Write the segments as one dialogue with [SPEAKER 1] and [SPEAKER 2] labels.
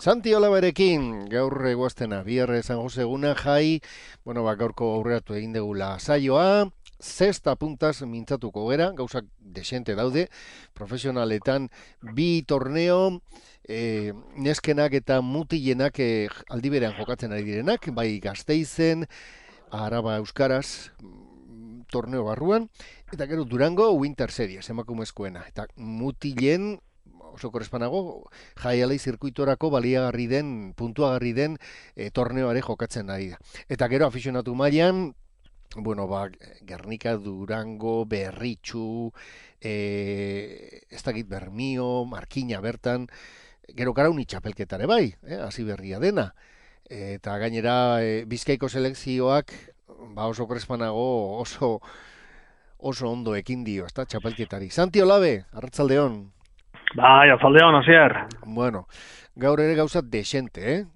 [SPEAKER 1] Santi Olaberekin, gaur eguaztena, bihar San Jose eguna jai, gaurko aurreratu egin degula saioa, zesta puntaz mintzatuko gera, gauzak desente daude, profesionaletan bi torneo, neskenak eta mutilenak aldiberean jokatzen ari direnak, bai Gasteizen, Araba Euskaraz, torneo barruan, eta gero Durango Winter Series, emakumezkoena, eta mutilen oso korespanago, jaialei zirkuitorako baliagarri den, puntuagarri den torneoare jokatzen ari da. Eta gero afizionatu mailan, Gernika, Durango, Berritxu, ez dakit Bermio, Markina bertan, gero Karauni txapelketare bai, hasi berria dena. Eta gainera Bizkaiko selekzioak, oso korespanago, oso ondo ekin dio, ez da, txapelketari. Santi Olabe, arratsaldeon.
[SPEAKER 2] Bai, azaldeon, hasier.
[SPEAKER 1] Bueno, gaur ere gauza desente,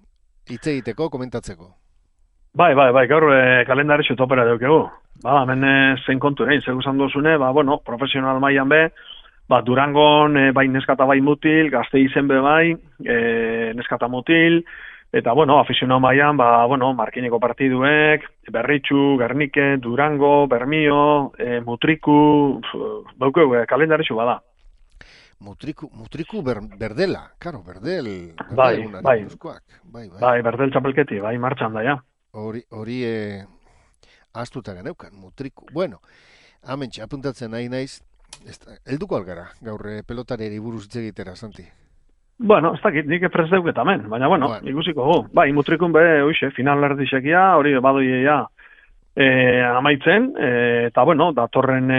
[SPEAKER 1] hitz egiteko, komentatzeko.
[SPEAKER 2] Bai, gaur kalendaritxu topera daukegu. Hemen zein kontu, zein guzan duzune, profesional mailan be, Durangon bai neskata bai mutil, Gasteizen be bai, neskata mutil, eta, afizionau mailan, Markineko partiduek, Berritxu, Gernike, Durango, Bermio, Mutriku, daukegu kalendaritxu bada.
[SPEAKER 1] Mutriku berdela, karo, berdel.
[SPEAKER 2] Bai, berdel txapelketi, bai, martxan da, ja.
[SPEAKER 1] Hori astuta geneukan, Mutriku. Bueno, amentxe, apuntatzen nahi naiz, helduko algara, gaur pelotareri buruz hitz egitera, Santi.
[SPEAKER 2] Ez dakit, nik prest deuket amen, baina, ikusiko gu. Bai, Mutrikun be, final erdixekia, hori badoia amaitzen, eta datorren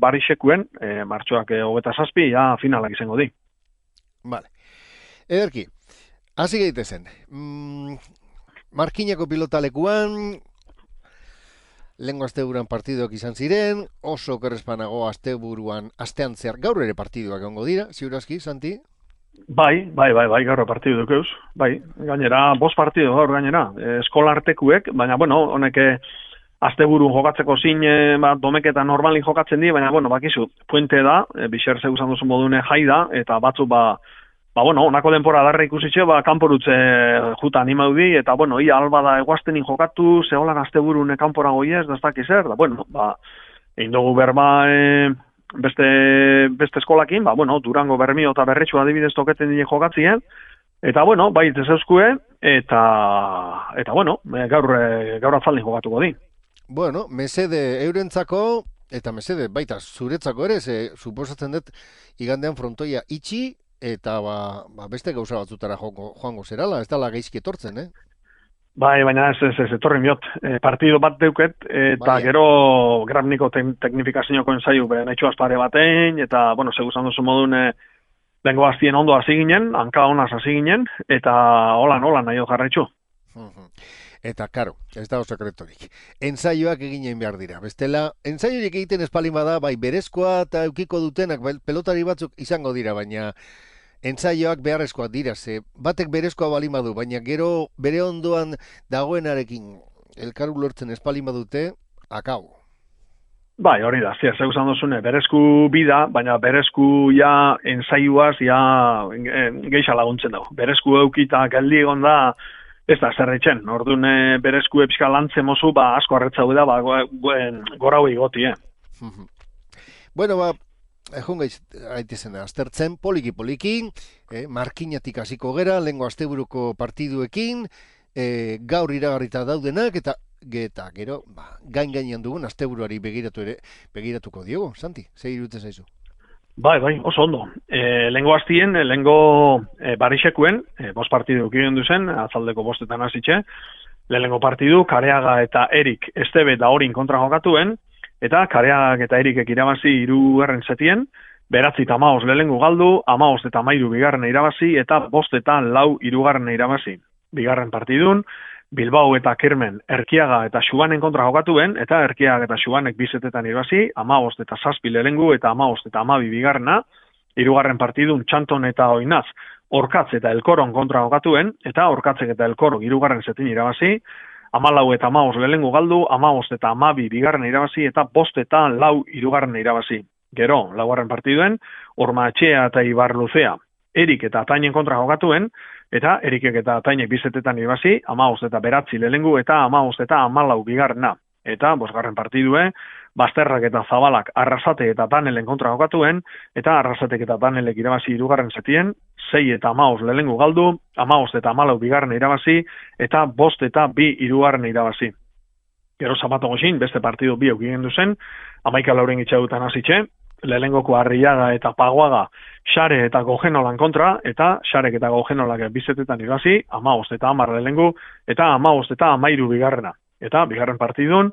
[SPEAKER 2] barixekuen, martxoak 27, finalak izango di.
[SPEAKER 1] Vale. Ederki, hasi gaitezen. Markinako pilotalekuan, lehengo asteburuan partiduak izan ziren, oso kerrespanago astean zehar, gaur ere partiduak egongo dira, ziurazki, Santi?
[SPEAKER 2] Bai, gaur partidu dukeuz. Bai, gainera, 5 partidu gaur gainera, eskolartekuek, baina, honek asteburu jokatzeko zin, domeketa normalin jokatzen di, baina, bakizu, puente da, bixer zeu zan duzun modune jai da, eta batzu, onako denpora darra ikusitxe, kanporutze juta animau di, eta, ia alba da eguaztenin jokatu, zeholan asteburun kanpora goiez, da ez dakiz er, da, egin dugu berba, beste eskolakin, Durango, Bermio eta Berretxu adibidez toketen dine jokatzien, eta, bai, zeuzkue, eta gaur atzaldin jokatuko di.
[SPEAKER 1] Mesede eurentzako, eta mesede baita zuretzako ere, suposatzen dut igandean frontoia itxi, eta beste gauza batzutara joango zerala, ez dala gaizki etortzen,
[SPEAKER 2] Bai, baina ez etorri miot. Partido bat deuket, eta gero grabniko teknifikazioako ensaiu nahitxo azpare batein, eta, seguzan duzu modun lengo hastien ondo hasi ginen, hanka honaz hasi ginen, eta holan nahi jarraitxu.
[SPEAKER 1] Eta, karo, ez da sekretorik. Ensaioak eginen behar dira. Bestela, ensaiorik egiten espalin bada, bai berezkoa eta eukiko dutenak, pelotari batzuk izango dira, baina ensaioak beharrezkoak dira, batek berezkoa balin badu, baina gero bere ondoan dagoenarekin elkaru lortzen espalin badute, akau.
[SPEAKER 2] Bai, hori da, zeu zan duzune, berezku bida, baina berezku ensaioaz geixa laguntzen dago. Berezku eukita geldi egon da, ez da, zerretxen, orduan berezku epska lantzen mozu, asko arretzau da, gora hoi goti,
[SPEAKER 1] Egon gaitezen aztertzen, poliki, markinatik hasiko gera, lehengo asteburuko partiduekin, gaur iragarrita daudenak, eta gero, gainean dugun asteburuari begiratuko diogo, Santi, zer iruditzen zaizu?
[SPEAKER 2] Bai, oso ondo. Lehengo hastien, lehengo barixekuen, 5 partidu kiren duzen, atzaldeko 5etan hasitxe, lehengo partidu, Kareaga eta Erik Estebe da horin kontra jokatuen, eta Kareagak eta Erikek irabazi 3. setien, 9 eta 15 lehengo galdu, 15 eta 13 bigarren irabazi, eta 5 eta 4 3. irabazi. Bigarren partidun, Bilbao eta Kirmen Erkiaga eta Xubanen kontra jokatuen, eta Erkiaga eta Xubanek 2 setetan irabazi, 15 eta 7 lehengo eta 15 eta 12 bigarrena, 3. partidun Txanton eta Oinaz, Orkatz eta Elkoron kontra jokatuen, eta Orkatzek eta Elkoro 3. setin irabazi, 14 eta 15 lehengo galdu, 15 eta 12 bigarren irabazi, eta 5 eta 4 3. irabazi. Gero, 4. partiduen, Ormaetxea eta Ibarluzea Erik eta Atainen kontra jokatuen, eta Erikek eta Atainek bizetetan irabazi, 15 eta 9 lehenengo eta 15 eta 14 bigarrena. Eta bosgarren partidue, Bazterrak eta Zabalak Arrasate eta Danelen kontra jokatuen, eta Arrasatek eta Danelek irabazi hirugarren setien, 6 eta 15 lehenengo galdu, 15 eta 14 bigarren irabazi, eta 5 eta 2 hirugarren irabazi. Gero Zapato goxin, beste partidu bi eukien duzen, 11 lauren itxadutan hasitxe, lehenengoko Arriaga eta Paguaga Xare eta Gogenolan kontra, eta Xarek eta Gogenolak bizetetan irabazi, 15 eta 10 lehenengo, eta 15 eta 13 bigarrena. Eta bigarren partidun,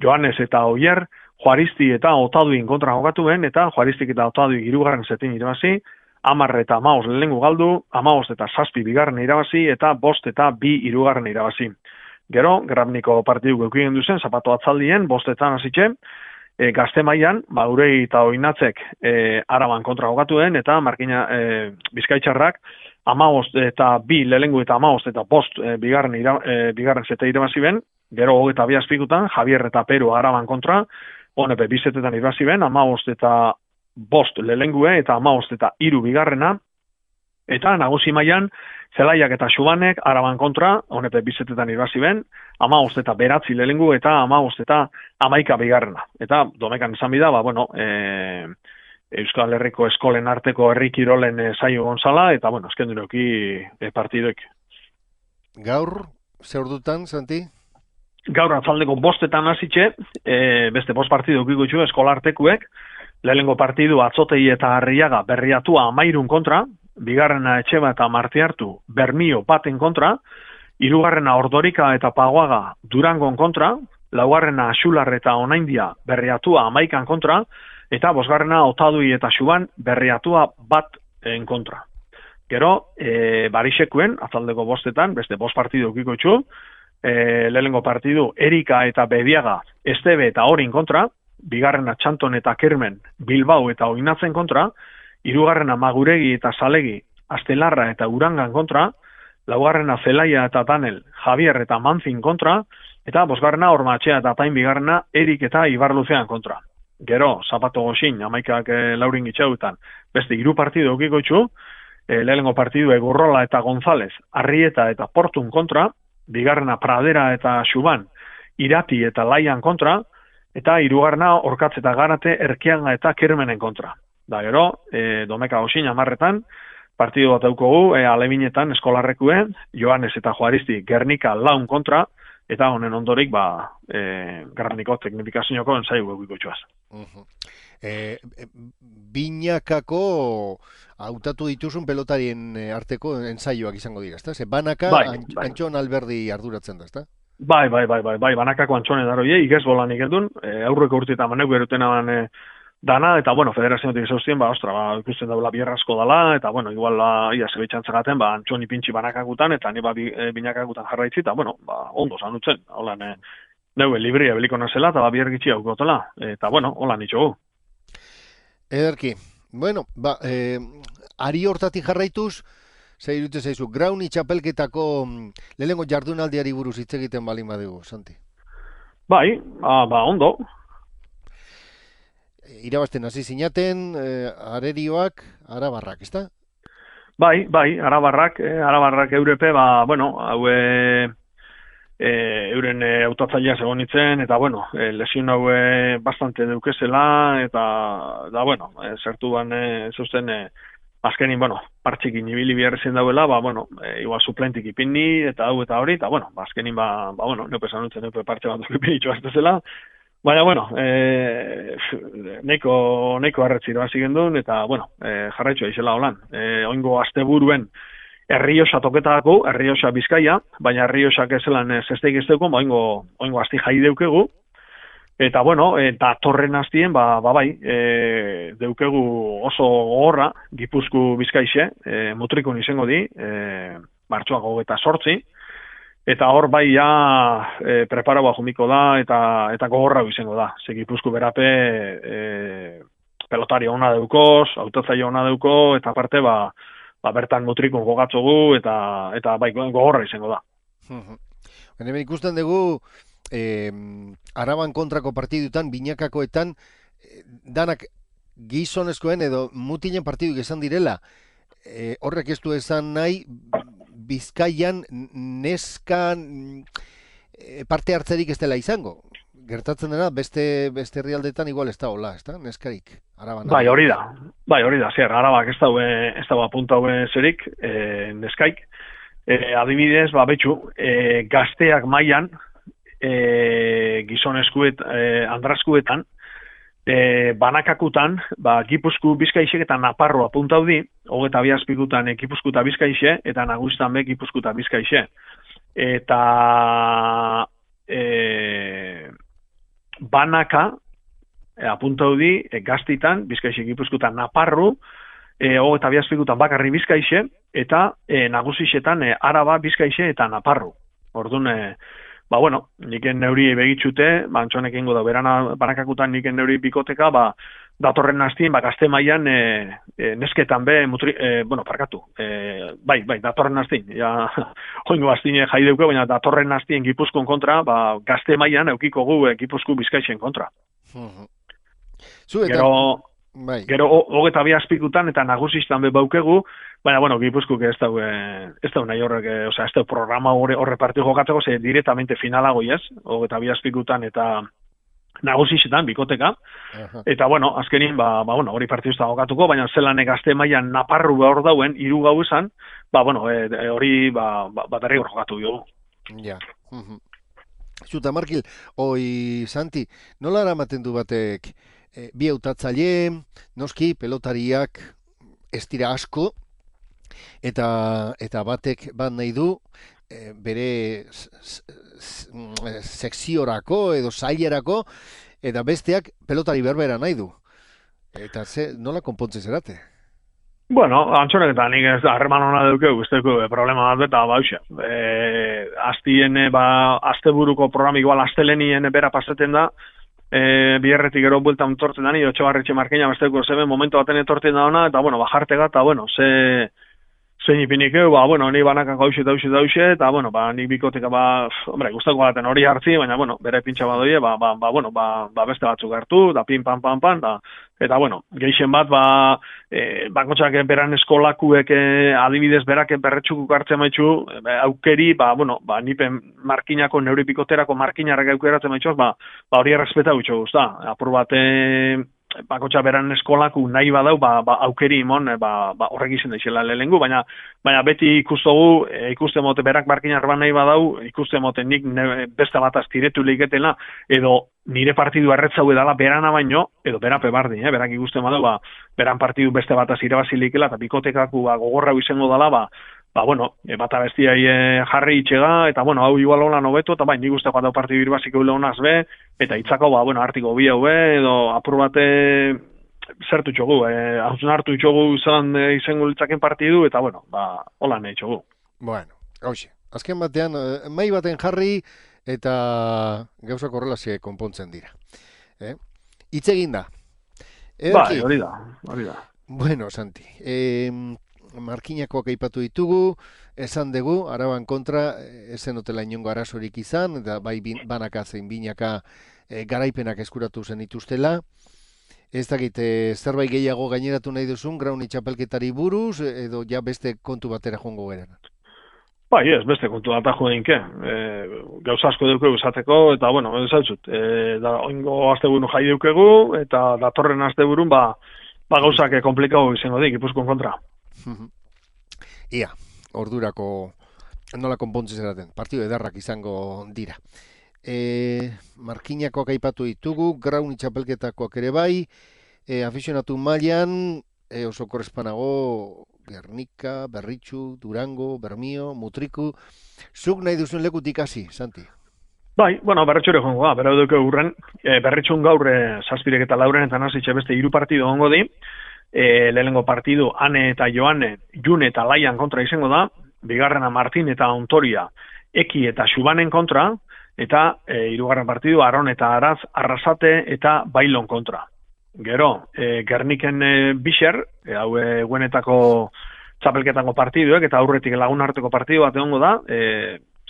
[SPEAKER 2] Joanes eta Oier, Juaristi eta Otaduin kontra jokatuen, eta Juaristik eta Otaduin hirugarren setin irabazi, 10 eta 15 lehenengo galdu, 15 eta 7 bigarren irabazi, eta 5 eta 2 hirugarren irabazi. Gero, Grabniko partidu geukien duzen, Zapato atzaldien, 5etan hasitxe, Gazte mailan, Urei eta Oinatzek Araban kontra jokatuen, eta Markina Bizkaitxarrak 15 eta 2 lehenengo eta 15 eta 5 bigarren sete irabazi ben. Gero 22 azpikutan, Javier eta Peru Araban kontra, honepe bizetetan irabazi ben, 15 eta 5 lehenengue eta 15 eta 3 bigarrena, eta nagusi mailan, Zelaiak eta Xubanek Araban kontra, honepe bizetetan irabazi ben, 15 eta 9 lehenengu eta 15 eta 11 bigarrena. Eta domekan esan bida, Euskal Herriko eskolen arteko herri kirolen saio gonzala, eta esken duroki partidoek.
[SPEAKER 1] Gaur, zer dutan, Santi?
[SPEAKER 2] Gaur atzaldeko 5etan hasitxe, beste 5 partidu eukiko txu eskolartekuek, lehenengo partidu Atzotei eta Arriaga Berriatua 13 kontra, bigarrena Etxeba eta Martiartu Bermio baten kontra, hirugarrena Ordorika eta Paguaga Durangon kontra, laugarrena Xular eta Onaindia Berriatua 11 kontra, eta bosgarrena Otadui eta Xuban Berriatua 1 kontra. Gero, Barixekuen, atzaldeko 5etan, beste 5 partidu eukiko txu, lehenengo partidu Erika eta Bediaga Estebe eta Orin kontra, bigarrena Txanton eta Kermen Bilbao eta Oinatzen kontra, hirugarrena Maguregi eta Salegi Astelarra eta Urangan kontra, laugarrena Zelaia eta Danel Javier eta Manzin kontra, eta bosgarrena Ormatxea eta Tain bigarrena Erik eta Ibarluzean kontra. Gero, Zapato goxin, 11 laurin gitxautan, beste 3 partidu eukiko txu, lehenengo partidu Egurrola eta González Arrieta eta Portun kontra, bigarrena Pradera eta Xuban Irati eta Laian kontra, eta hirugarrena Orkatz eta Garate Erkianga eta Kermenen kontra. Da gero, domeka goxin 10etan, partidu bat daukogu, Alebinetan eskolarrekuen, Joanes eta Juaristi Gernika Laun kontra, eta honen ondorik, Grabniko teknifikazioako ensaiu egiko txuaz.
[SPEAKER 1] Binakako hautatu dituzun pelotarien arteko ensaioak izango dira, ezta? Ze banaka Antxon Alberdi arduratzen da, ezta?
[SPEAKER 2] Bai, banakako Antxone daroie, igez bolan ikeldun, aurreko urteetan maneu berutena dana, eta, federazioetik zauztien, ikusten daula bierrazko dala, eta, igual, ia zebitzantzagaten, Antxoni pintxi banakakutan, eta niba binakakutan jarraitzi, eta, ondo zanutzen, holan, neue libria beliko nazela, eta biergitxi haukotela, eta, holan nitxogu.
[SPEAKER 1] Ederki, ari hortatik jarraituz, zer irute zaizu, Grauni txapelketako lehenengo jardunaldiari buruz hitz egiten balin badugu, Santi?
[SPEAKER 2] Bai, ondo.
[SPEAKER 1] Irabazten hasi zinaten, arerioak, arabarrak, ezta?
[SPEAKER 2] Bai, arabarrak eurepe, euren autatzailea egon nintzen, eta, lesion haue bastante deukezela, eta, zertu zeusten, azkenin, partxikin ibili biharrezen dauela, igual suplentik ipinni, eta hau eta hori, eta, azkenin, neupe zanutzen, neupe partxe bat dukipin itxoaztezela, baina, neko arretziro hasi gendun, eta, jarraitxoa izela holan. Oingo asteburuen Errioxa toketako, Errioxa Bizkaia, baina Errioxak ezelan zesteik ez deuko, oingo asti jai deukegu, eta, eta torren hastien, deukegu oso gogorra, Gipuzku Bizkaixe, mutrikun izango di, martxoak 28, eta hor preparaua jumiko da, eta gogorra izango da. Ze Gipuzku berape pelotari ona deukoz, autatzaile ona deuko, eta aparte, bertan mutrikun gogatzogu, eta gogorra izango da.
[SPEAKER 1] Hemen ikusten dugu, Araban kontrako partidutan, binakakoetan, danak gizonezkoen edo mutilen partidu izan direla, horrek ez du esan nahi, Bizkaian neskan parte hartzerik ez dela izango. Gertatzen dena, beste herrialdetan igual ez da hola, ez da, neskarik, Araban.
[SPEAKER 2] Bai, hori da, zer, Arabak ez dago apunta zerik, neskaik. Adibidez, betxu, gazteak mailan, gizonezkuet, andrazkuetan, banakakutan, Gipuzku, Bizkaixek eta Naparro apuntau di, 22 azpikutan Gipuzku eta Bizkaixe, eta nagustan be Gipuzku eta Bizkaixe. Eta banaka apuntau di gaztitan, Bizkaixe, Gipuzku eta Naparro, 22 azpikutan bakarri Bizkaixe, eta nagusixetan Araba, Bizkaixe eta Naparro. Orduan, niken neuri begitxute, antxonek ingo da, banakakutan niken neuri bikoteka, datorren hastien, gazte mailan nesketan be, datorren hastien, joingo hastien jai deuke, baina datorren hastien Gipuzkoen kontra, gazte mailan eukiko gu Gipuzko Bizkaixen kontra. Gero, 22 azpikutan eta nagusistan be baukegu, baina, Gipuzkoek ez dau nahi horrek, ez dau programa horre partidu jokatzeko, ze directamente finalago ez, 22 azpikutan eta nagusisetan, bikoteka, eta, azkenin, hori partidu ez da jokatuko, baina zelan gazte mailan Naparru hor dauen, 3 gau esan, hori, derrigor jokatu dugu.
[SPEAKER 1] Ja. Zuta, Markil, Santi, nola eramaten du batek bi hautatzaile, noski, pelotariak ez dira asko, eta batek bat nahi du, bere sekziorako edo sailerako, eta besteak pelotari berbera nahi du. Eta nola konpontzen zerate?
[SPEAKER 2] Antxonek eta nik ez da, harreman hona dukeu, izteko problema bat beta, aztien, asteburuko program, igual astelenien bera pasaten da, biherretik gero bueltan torten da, ni Otxabarretxe Markina, besteko zeben momentu baten etorten da ona, eta, bajartega, eta, zein ipinik egu, ni banakak hause, eta, nik bikoteka, guztako baten hori hartzi, baina, bere pintxa badoie, beste batzuk hartu, da pin, pan, eta, geixen bat, bakotxak beran eskolakuek adibidez berak berretxukuk hartzen maitxu, aukeri, nipen markinako, neuri bikoterako markinarrak aukeratzen maitxoz, hori errespeta gutxo guzta, apur bate, bakotxa beran eskolaku nahi badau, aukeri imon, horrek izan daizela lehengu, baina beti ikusten mote berak markinar bat nahi badau, ikusten mote nik beste bat aztiretu lehiketela, edo nire partidu erretzau edala berana baino, edo berape bardin, berak ikusten badau, beran partidu beste bat azirabazilikela, eta bikotekaku gogorrau izango dala, bata bestiai jarri itxega, eta, hau igual hola nobeto, eta nik uste bat partidu irbaziko honaz be, eta itzako, artiko bi hau be, edo apur bate zertu txogu, hauzen hartu txogu zelan izango litzaken partidu, eta, hola nahi txogu.
[SPEAKER 1] Azken batean, mai baten jarri, eta gauzak horrelazie konpontzen dira. Itzegin da.
[SPEAKER 2] Hori da.
[SPEAKER 1] Bueno, Santi, Markinakoak aipatu ditugu, esan dugu, Araban kontra, ezen hotela inongo arazorik izan, eta bai banaka zein binaka garaipenak eskuratu zen ituztela. Ez dakit, zerbait gehiago gaineratu nahi duzun, Grauni txapelketari buruz, edo ja beste kontu batera joango garen?
[SPEAKER 2] Ez, beste kontu bat ajo deinke. Gauza asko dugu esateko, eta, ez hautzut, oingo asteburu jai dukegu, eta datorren asteburun, gauzak komplikau izango dik, Gipuzkoen kontra.
[SPEAKER 1] Ia, ordurako nola konpontzen zeraten, partidu edarrak izango dira. Markinakoak aipatu ditugu, Grauni txapelketakoak ere bai, afizionatu mailan, oso korrespanago, Gernika, Berritxu, Durango, Bermio, Mutriku, zuk nahi duzun lekutik hasi, Santi?
[SPEAKER 2] Berritxure jongo da, bera duke urren, Berritxun gaur zazpirek eta lauren eta nazitxe beste 3 partidu ongo di, lehenengo partidu Ane eta Joane, June eta Laian kontra izango da, bigarrena Martin eta Ontoria, Eki eta Xubanen kontra, eta 3. partidu Aron eta Araz, Arrasate eta Bailon kontra. Gero, Gerniken Bixer, hau guenetako txapelketako partiduek, eta aurretik lagun arteko partidu bat egongo da,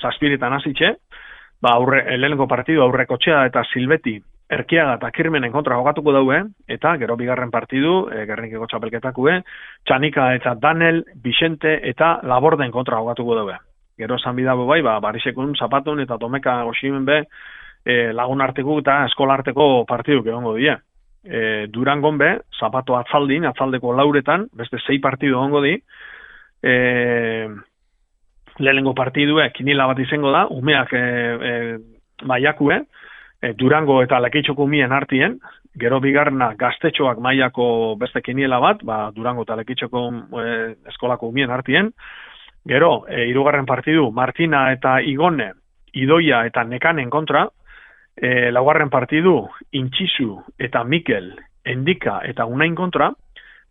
[SPEAKER 2] zazpiretan hasitxe, lehenengo partidu Aurrekotxea eta Silbeti Erkiaga eta Kirmenen kontra jokatuko daue, eta gero bigarren partidu, Gernikeko txapelketakue, Txanika eta Danel, Vicente eta Laborden kontra jokatuko daue. Gero esan bidago bai, Barisekun, Zapatun eta Tomeka Goximen be, lagun arteko eta eskola arteko partiduk egongo die. Durangon be, Zapato atzaldin, atzaldeko lauretan, beste 6 partidu egongo di, lehenengo partidue, kinila bat izango da, umeak maiakue, Durango eta Lekeitxoko umien artien, gero bigarna gaztetxoak mailako beste kiniela bat, Durango eta Lekeitxoko eskolako umien artien, gero, hirugarren partidu, Martina eta Igone, Idoia eta Nekanen kontra, laugarren partidu, Intxizu eta Mikel, Endika eta Unain kontra,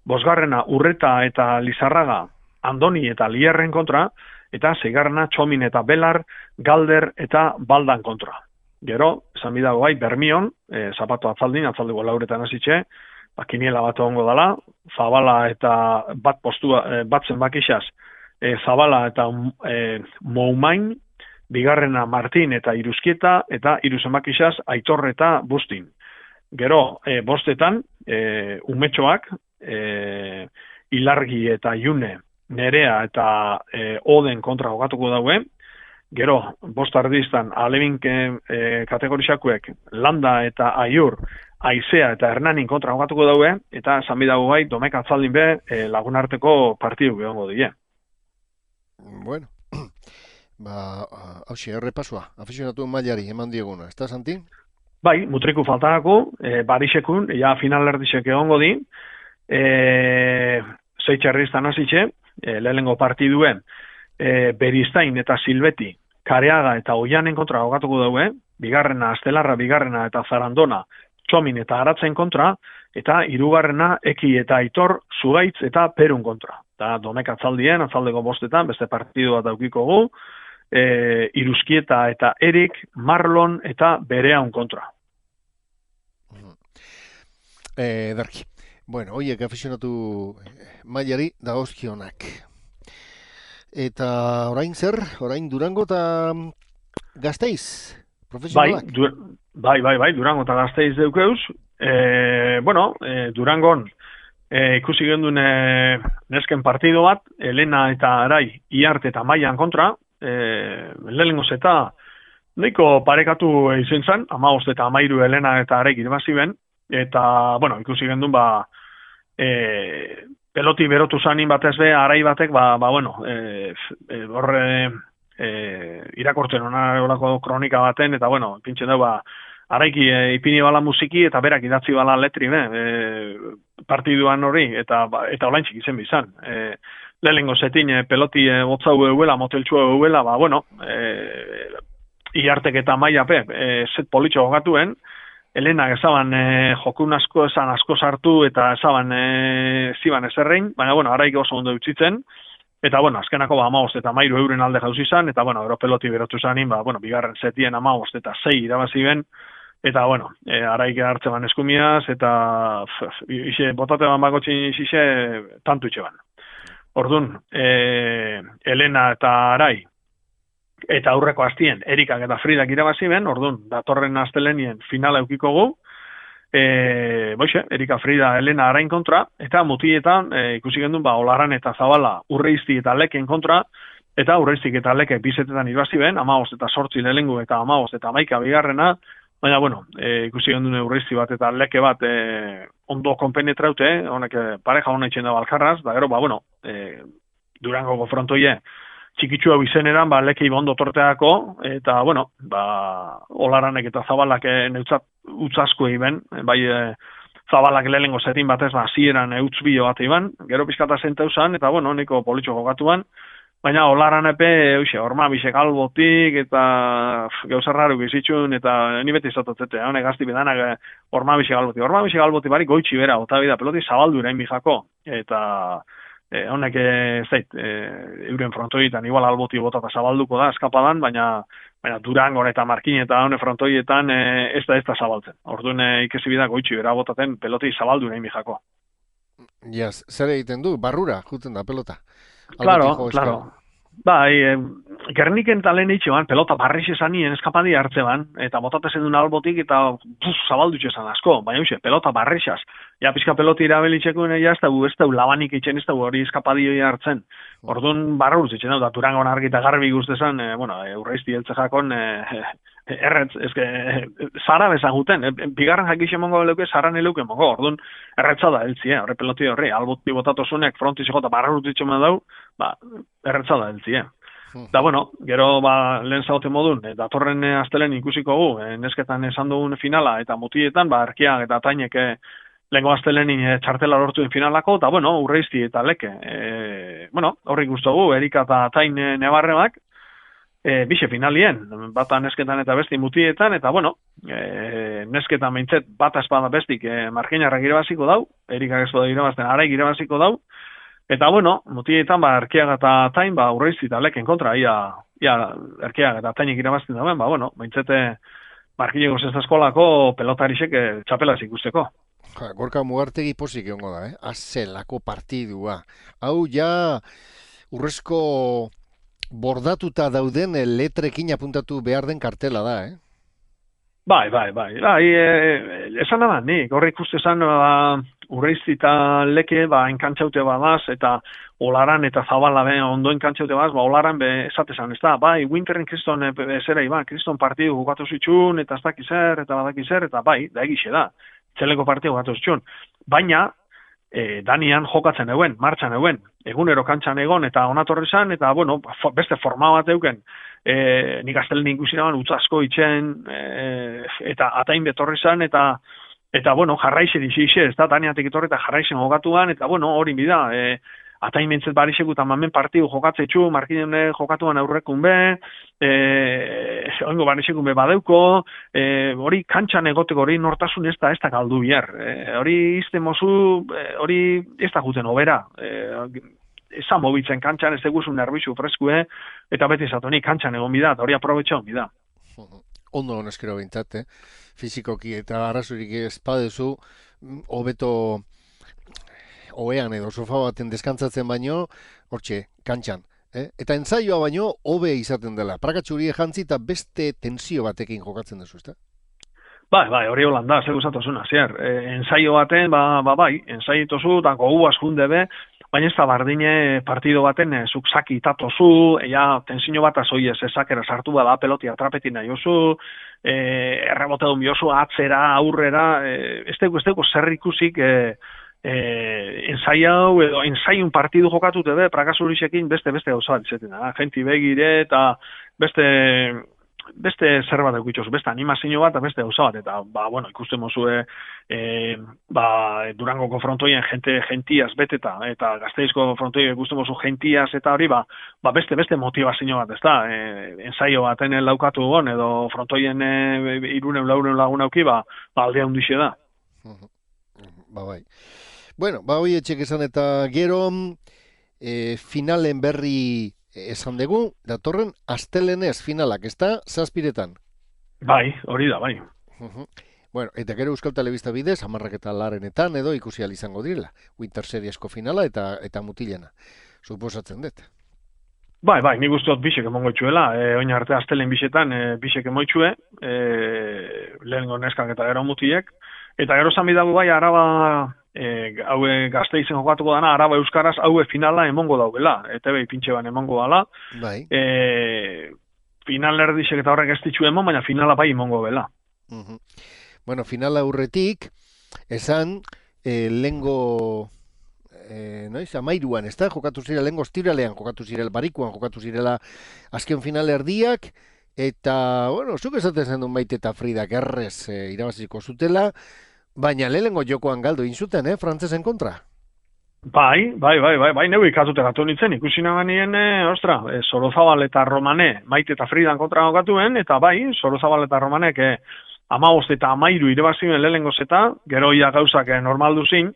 [SPEAKER 2] bosgarrena Urreta eta Lizarraga, Andoni eta Lierren kontra, eta seigarrena Txomin eta Belar, Galder eta Baldan kontra. Gero, esan bidago bai, Bermion, Zapato atzaldin, atzaldeko lauretan hasitxe, kiniela bat egongo dela, Zabala eta bat zenbakixaz, Zabala eta Moumain, bigarrena Martin eta Iruzkieta, eta hiru zenbakixaz Aitor eta Bustin. Gero, bostetan, umetxoak, Ilargi eta June, Nerea eta Oden kontra jokatuko daue. Gero, bost ardiztan, alebin kategorizakuek Landa eta Aiur, Aizea eta Hernanin kontra jokatuko daue, eta esan bidago bai, Domek atzaldin be lagun arteko partidu egongo die.
[SPEAKER 1] Bueno, hauxe, errepasua, afizionatu mailari eman dieguna, ez da, Santi?
[SPEAKER 2] Bai, mutriku faltarako, Barisekun, ja final erdisek egongo di, zeitxerriztan hasitxe, lehenengo partiduen, Beristain eta Silbeti, Kareaga eta Oianen kontra jokatuko daue, bigarrena Astelarra, bigarrena eta Zarandona, Txomin eta Aratzen kontra, eta hirugarrena Eki eta Aitor, Zugaitz eta Perun kontra. Eta Domek atzaldien, atzaldeko bostetan, beste partidu bat daukiko gu, Iruzkieta eta Erik, Marlon eta Bereaun kontra.
[SPEAKER 1] Darki. Bueno, hoiek afizionatu mailari dagozkionak. Eta orain zer? Orain Durango eta Gasteiz? Profesionalak?
[SPEAKER 2] Bai, Durango eta Gasteiz deukeuz. Durangon ikusi genduen nesken partido bat, Elena eta Arai, Iarte eta Maian kontra, lehenengoz eta nahiko parekatu izen zen, 15 eta 13 Elena eta Arai irbaziben, eta, ikusi genduen peloti berotu zanin batez be, Arai batek, irakortzen olako kronika baten, eta, pintzen dugu, Araiki ipini bala musiki, eta berak idatzi bala letri, partiduan hori, eta olaintzik izen bizan. Lehenengo zetin peloti botzau euela, moteltxua euela, Iartek eta Maiape, zet politxo jokatuen, Elena ezaban jokun asko esan asko sartu eta ezaban ziban ezerrein, baina Araik oso ondo utzitzen, eta azkenako 15 eta 13 euren alde jauzi izan, eta ero peloti berotu zanin, bigarren setien 15 eta 6 irabazi ben, eta Araik hartze ban eskumiaz, eta botate ban bakotxin ixe tantu itxe ban. Orduan, Elena eta Arai, eta aurreko hastien Erikak eta Fridak irabazi ben, orduan, datorren astelenien finala eukiko gu, Erika Frida Elena Arain kontra, eta mutietan ikusi gendun, Olaran eta Zabala Urreizti eta Leken kontra, eta Urreiztik eta Leke bizetetan irabazi ben, 15 eta 8 lehenengo eta 15 eta 11 bigarrena, baina, ikusi gendun Urreizti bat eta Leke bat ondo konpenetraute, honek pareja hona itxen da balkarraz, da gero, Durangoko frontoie, txikitsua bizeneran, Lekei bondo torteako, eta, Olaranek eta Zabalak neutzat utzasko iben, Zabalak lehenengo zetin batez, zieran utzbio bat iban, gero pizkata zenteu zan, eta, niko politxo jokatuan, baina Olaranepe, Ormabisek albotik, eta gauzarraru bizitzun, eta ni beti zatotzete, honek gazti bedanak Ormabisek albotik barik goitxi bera, otabida peloti zabaldu irain bijako, eta honek euren frontoietan igual alboti bota eta zabalduko da eskapadan, baina Durangon eta Markin eta honek frontoietan ez da zabaltzen. Orduan ikesi bida goitxi bera botaten peloti zabaldu nahi mijako.
[SPEAKER 1] Zer egiten du? Barrura juten da pelota?
[SPEAKER 2] Claro. Bai, Gerniken eta lehen itxean, pelota barriz esanien eskapadi hartzeban, eta botatezen duen albotik, eta zabaldutxe esan asko, baina pelota barrizaz. Ja, pizka peloti irabelitxekuen ez da labanik itxen, ez da hori eskapadi hartzen. Orduan barra urtz itxen, da Durangon argi eta garbi guztezan, urreizti heltze jakon, erretz, zara bezaguten, bigarren jakixe mongo leuke, zaran eleuke mongo, orduan erretza da heltzi, horre peloti horre, alboti botatosunek frontiz eta barra urtz itxen dau, erretza da heltzi, Da, gero lehen zaute modun, datorren astelen ikusiko gu, nesketan esan dugun finala, eta mutietan, Erkiak eta Atainek lehenko astelenin txartela lortuen finalako, eta, urreizti eta leke. Horrik guztu gu, Erika eta Atain nebarrebak, bixe finalien, bata nesketan eta besti mutietan, eta, nesketan meintzet bata espada bestik marginarrak irabaziko dau, Erikak ez bada irabazten, araik irabaziko dau, eta, mutietan, Erkiak eta Atain, urreizti eta leken kontra, ia Erkiak eta Atainek irabazten dauen, meintzete markineko zestaskolako pelotarisek txapelaz ikusteko.
[SPEAKER 1] Gorka Mugartegi pozik egongo da, azelako partidua. Hau ja urrezko bordatuta dauden letrekin apuntatu behar den kartela da,
[SPEAKER 2] Bai. Esan da, nik horre ikustezan urreizti eta leke enkantxaute badaz, eta olaran eta zabala ondo enkantxaute badaz, olaran esatezan, ez da, Winterren kriston zera, kriston partidu jokatu zitxun, eta ez dakizer, eta badakizer, eta da egixe da. Txeleko partidu gatu zitxun. Baina, Danian jokatzen euen, martxan euen, egunero kantxan egon, eta onatorri zan, eta, beste forma bat euken, nik astelen ikusi naban, utzasko itxen, eta Atain betorri zan, eta jarraixe dixixe, ez da, Daniatik etorri eta jarraixen jokatuan, eta, hori bida, Atain mentzet barixeku eta mamen partidu jokatzetxu, markinen jokatuan aurrekun be, oingo barixekun be badeuko, hori kantxan egoteko hori nortasun ez da galdu bihar. Hori izte mozu, hori ez da juten obera. Ezan mobitzen kantxan, ez eguzun nerbizu freskue, eta beti zatonik kantxan egon bida, hori aprobetxean bida.
[SPEAKER 1] Ondo honezkero bintzat, fizikoki eta arrazurik ez padezu, hobeto oean edo sofa baten deskantzatzen baino, hortxe, kantxan. Eta entzaioa baino, hobe izaten dela. Prakatxurie jantzi eta beste tensio batekin jokatzen duzu, ezta?
[SPEAKER 2] Bai, hori holanda, zer guztatuzuna, zier. Entzaio baten, entzaitozu, eta gogu askunde be, baina ez da bardine partido baten zuk saki itatozu, tensio bat azoi ezakera sartu bada peloti atrapetin nahi oso, errebote duen biozu, atzera, aurrera, ez dugu zer ikusik, ensaiau edo ensaiun partidu jokatu tebe, prakasurisekin beste gauza bat izaten da. Genti begire eta beste zer bat eukitxozu, beste animazio bat eta beste gauza bat. Eta, ikusten mozue Durangoko frontoien gentiaz beteta, eta Gasteizko frontoien ikusten mozu gentiaz eta hori, beste motivazio bat, ez da. Ensaio baten laukatu gon, edo frontoien 300-400 lagun auki, aldea hundixe da.
[SPEAKER 1] Bai. Bueno, hoi etxek esan eta gero finalen berri esan dugu, datorren astelenez finalak, ez da, zazpiretan?
[SPEAKER 2] Bai, hori da, bai.
[SPEAKER 1] Bueno, eta gero Euskal Telebista bidez, 10:00 edo ikusi ahal izango direla. Winter Seriesko finala eta mutilena. Suposatzen dut.
[SPEAKER 2] Bai, nik uste dut bisek emongo itxuela. Oin arte astelen bisetan bisek emoitxue, lehengo neskak eta gero mutilek. Eta gero zan bidago bai, Araba, haue Gasteizen jokatuko dana, Araba Euskaraz, haue finala emongo daugela. ETV pintxe ban emongo dala.
[SPEAKER 1] Bai.
[SPEAKER 2] Final erdisek eta horrek ez ditxu emon, baina finala bai emongo dela.
[SPEAKER 1] Bueno, finala aurretik, esan, lehengo, amairuan, ez da? Jokatu zirela, lehengo ostiralean jokatu zirela, barikuan jokatu zirela azken final erdiak, eta, zuk esaten zen duen Maite eta Fridak errez irabaziko zutela, baina lehengo jokoan galdu inzuten, frantzesen kontra?
[SPEAKER 2] Bai, neu ikatute gatu nintzen, ikusi naganien, Sorozabal eta Romane, Maite eta Fridan kontra jokatuen, eta bai, Sorozabal eta Romanek 15 eta 13 irabazioen lehengo zeta, gero ia gauzak normaldu zin,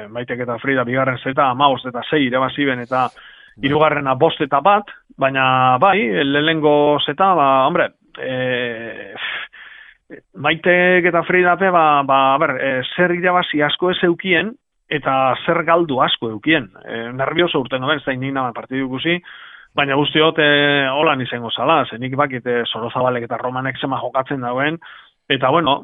[SPEAKER 2] Maitek eta Frida bigarren zeta 15 eta 6 irabazioen eta hirugarrena 5 eta 1, baina bai, lehengo zeta, Maitek eta Fridape, zer irabazi asko ez eukien, eta zer galdu asko eukien. Nervioso urten noben, ez da nik naman partidu ikusi, Baina guztiot, holan izango zala, zenik bakit Sorozabalek eta Romanek zema jokatzen dauen, eta bueno,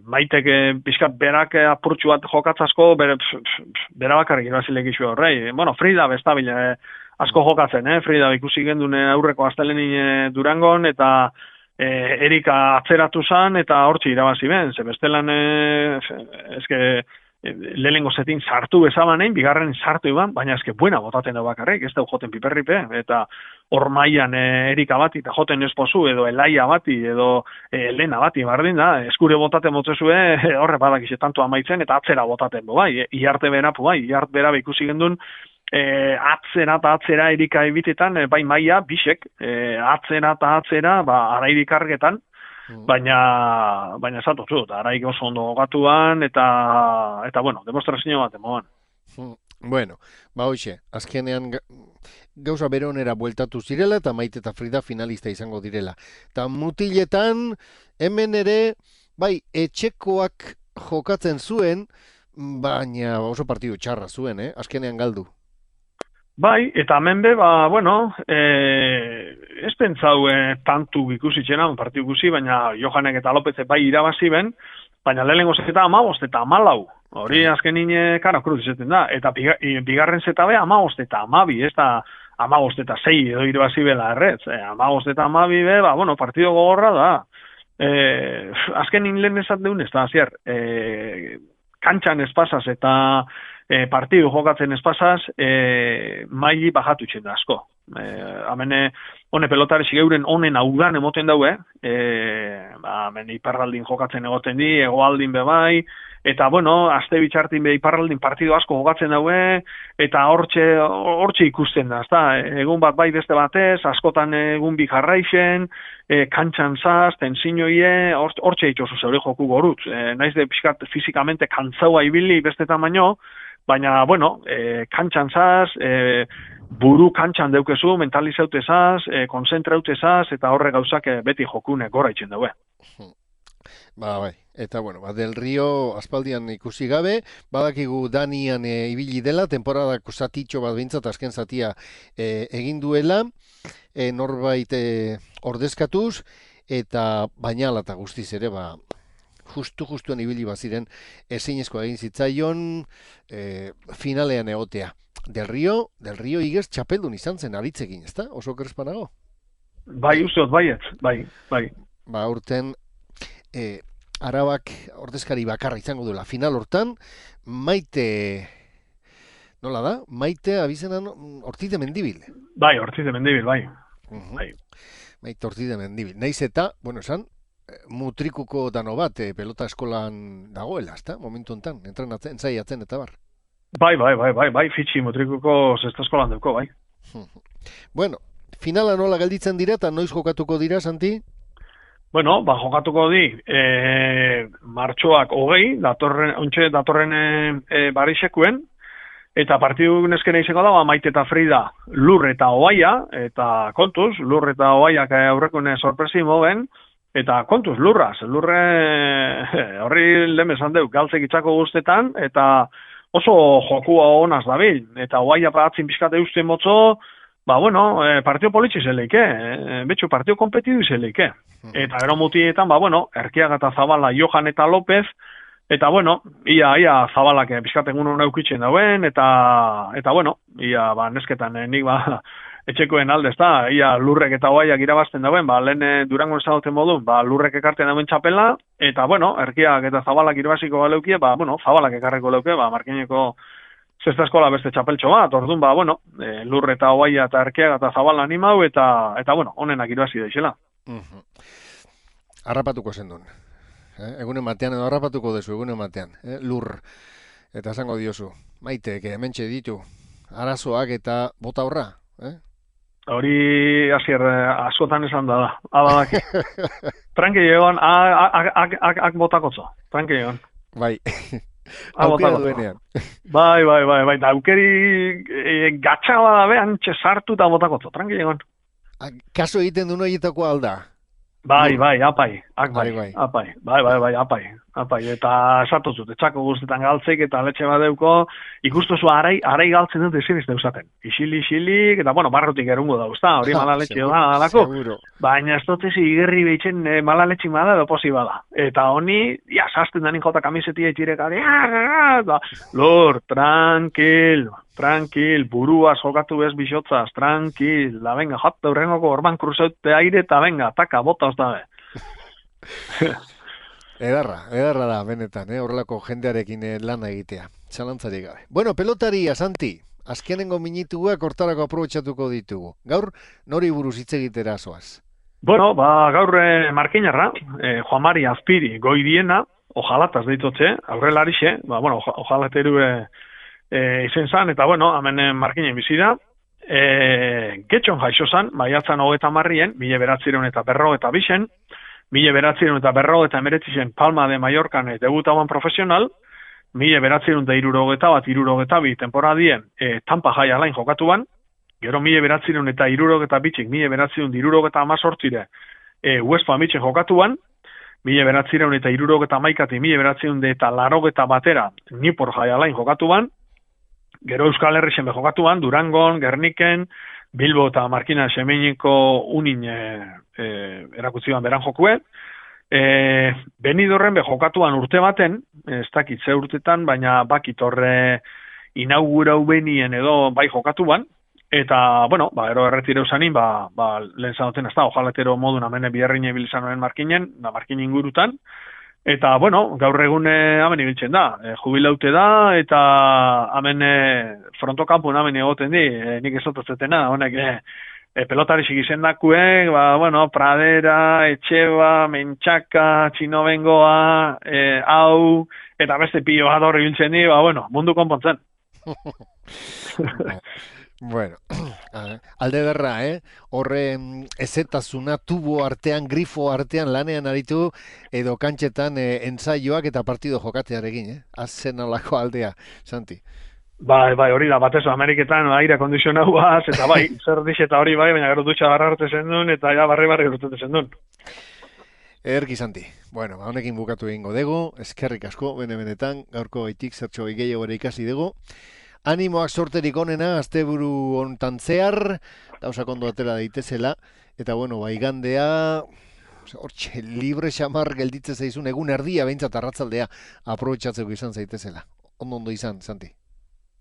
[SPEAKER 2] Maitek pixkat berak apurtxu bat jokatzasko, bera bakarrik irabazilek isu horrei. Bueno, Frida bestabile asko jokatzen, Frida ikusi gendun aurreko astelenin Durangon, eta Erika atzeratu zan, eta hortzi irabazi ben, ze bestelan, eske, lehenengo zetin sartu bezabanein, bigarren sartu iban, baina eske buena botaten da bakarrik, ez da joten piperripe, eta hor maian Erika bati, eta joten espozu, edo Elaia bati, edo Elena bati, bardin da, eskure botaten motzezue, horre badakize tanto amaitzen, eta atzera botaten, bai, iarte berapu, bai, iarte bera ikusi gendun, atzera eta atzera Erika ebitetan, bai maia, bisek, atzera eta atzera, arairik argetan, baina esatotzu, araik oso ondo gogatuan, eta bueno, demostrazio bat emoan.
[SPEAKER 1] Bueno, hoxe, azkenean gauza bere onera bueltatu zirela, eta Maite eta Frida finalista izango direla. Eta mutiletan, hemen ere, bai, etxekoak jokatzen zuen, baina oso partidu txarra zuen, azkenean galdu.
[SPEAKER 2] Bai, eta hemen be, bueno, ez pentsau tantu ikusitzena, partidu ikusi, baina Johanek eta Lopez bai irabazi ben, baina lehenengo zeta 15 eta 14. Hori azkenin kara kruz izaten da, eta bigarren zeta be 15 eta 12, ez da 15 eta 6 edo irabazi bela erretz. 15 eta 12 be, bueno, partidu gogorra da. Azkenin lehen esat deun, ez da, zier, kantxan espasaz eta partidu jokatzen espasaz, maili bajatu itxen da asko. Hemen, hone pelotare sigeuren honen audan emoten daue, hemen iparraldin jokatzen egoten di, hegoaldin bebai, eta bueno, aste bitxartin be iparraldin partidu asko jokatzen daue, eta hortxe ikusten da, ezta? Egun bat bai beste batez, askotan egun bi jarraixen, kantxan zaz, tensiñoie, hortxe itxosu zeure joku gorutz. Naiz de pixkat fizikamente kantzaua ibili bestetan baino, baina, bueno, kantxan zaz, buru kantxan deukezu, mentalizaute zaz, konzentraute zaz, eta horre gauzak beti jokune gora itxen daue.
[SPEAKER 1] Bai, eta bueno, Del Rio aspaldian ikusi gabe, badakigu Danian ibili dela, temporadako zatitxo bat bintzat azken zatia egin duela, norbait ordezkatuz, eta bainala eta guztiz ere, justuan ibili baziren ezinezko egin zitzaion finalean egotea. Del Rio igez txapeldun izan zen aritzekin, ezta? Oso kerespanago?
[SPEAKER 2] Bai, usteot, baiet, bai.
[SPEAKER 1] Urten Arabak ordezkari bakarra izango duela final hortan, Maite, nola da? Maite abizenan Ortiz de Mendibil.
[SPEAKER 2] Bai, Ortiz de Mendibil, bai.
[SPEAKER 1] Maite Ortiz de Mendibil. Naiz eta, bueno, esan, mutrikuko dano bat, pelota eskolan dagoela, ezta? Momentu honetan, entrenatzen, zaiatzen eta bar.
[SPEAKER 2] Bai, fitxi mutrikuko zesta eskolan duko, bai.
[SPEAKER 1] Bueno, finala nola gelditzen dira eta noiz jokatuko dira, Santi?
[SPEAKER 2] Bueno, jokatuko di, martxoak 20, datorren Barixekuen, eta partidu neskena izango da, Maite eta Frida, Lur eta Oaia, eta kontuz, Lur eta Oaiak aurrekune sorpresi moben, eta kontuz, Lurre horri lehen esan deu, galtzek itzako guztetan, eta oso jokua honaz dabil, eta Oaia atzin pixkate usten motzo, bueno, partio politxe zeleike, betxo partio kompetidu zeleike. Eta gero mutietan, Erkiaga eta Zabala, Johan eta López, eta bueno, ia Zabalak pixkaten uno naukitzen dauen, eta bueno, ia nesketan nik etxekoen alde, ezta, ia Lurrek eta Oaiak irabazten dauen, lehen Durangon ezagoten modu, Lurrek ekarten dauen txapela, eta bueno, Erkiak eta Zabalak irabaziko baleukie, Zabalak ekarreko leuke, Markineko zesta eskola beste txapeltxo bat, orduan, Lurre eta Oaia eta Erkiaga eta Zabala animau, eta bueno, honenak irabazi daixela.
[SPEAKER 1] Arrapatuko zendun. Egunen batean, edo harrapatuko dezu, egunen batean. Lur, eta esango diozu. Maite, hementxe ditu, arazoak eta bota horra.
[SPEAKER 2] Hori hasier askotan esan da. Abadak. Tranqui egon, ak botakotzo. Tranqui egon.
[SPEAKER 1] Bai. Aukera duenean.
[SPEAKER 2] Bai. Da aukeri gatxaba da behan txesartu eta botakotzo. Tranqui egon.
[SPEAKER 1] Kaso egiten du noietako alda.
[SPEAKER 2] Bai, apai. Apai. Apai, eta esatu zut, etxako guztetan galtzeik eta letxe badeuko, ikustuzu arai galtzen dut ezin izte usaten. Isilik, eta bueno, barrutik erungo da, usta, hori mala letxe da, alako. Baina ez dutezi igerri behitzen mala letxik bada edo posi bada. Eta honi, ja, sasten danin jota kamisetia itxirekari, lor, tranquil, burua jokatu bez bixotzaz, tranquil, da venga, jat eurrengoko orban kruzaute aire eta venga, taka, bota oztabe.
[SPEAKER 1] Edarra da, benetan, horrelako jendearekin lana egitea, txalantzarik gabe. Bueno, pelotaria, Santi, azkenengo minituak hortarako aprobetxatuko ditugu. Gaur, nori buruz hitz egitera zoaz?
[SPEAKER 2] Bueno, gaur markinarra, Juan Mari Azpiri goidiena, ojalataz deitotxe, aurrelarixe, bueno, ojalateru izen zan, eta bueno, hemen markinen bizida, getxon jaixo zan, maiatzan 30-en, 1942, 1949 Palma de Mallorcan debutaban profesional, 1961-62 temporadien Tampa Jai Alain jokatuan, gero 1962-tik 1968 West Palmitzen jokatuan, 1971-tik 1980 Newport Jai Alain jokatuan, gero Euskal Herrixen jokatuan, Durangon, Gerniken, Bilbo eta Markina Semeiniko unin erakutziban beran jokue. Benidorren jokatuan urte baten, ez dakit ze urtetan, baina bakit horre inaugurau benien edo bai jokatuan, eta, bueno, ero erretire usanin, lehen zanoten ez da, ojalatero modun amene biherrine bilizanoen markinen, markin ingurutan, eta, bueno, gaur egun hemen ibiltzen da, jubilaute da, eta hemen frontokampun hemen egoten di, nik ezotatzetena, honek pelotarisik izendakuek, bueno, Pradera, Etxeba, Mentxaka, Txinobengoa, hau, eta beste pilo bat horri ibiltzen di, bueno, mundu konpontzen.
[SPEAKER 1] Bueno, alde berra, horre ezetasuna tubo artean, grifo artean lanean aritu edo kantxetan ensaioak eta partido jokatearekin, Azen alako aldea, Santi.
[SPEAKER 2] Bai, hori da, batez Ameriketan aire kondizionauaz, eta bai, zer dixe eta hori bai, baina gero dutxa barra arte zendun, eta ja barri urtete zendun.
[SPEAKER 1] Ederki, Santi. Bueno, honekin bukatu egingo dugu, eskerrik asko, benetan, gaurko gaitik zertxo gehiago ere ikasi dugu. Animoak sorterik onena, asteburu hontan zehar, gauzak ondo atera daitezela, eta bueno, igandea, hortxe, libre xamar gelditze zaizun, egun erdia behintzat arratzaldea aprobetxatzeko izan zaitezela. Ondo izan, Santi.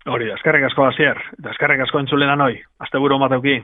[SPEAKER 2] Hori, eskerrik asko hasier, eta eskerrik asko entzulenan hoi, asteburu mateuki.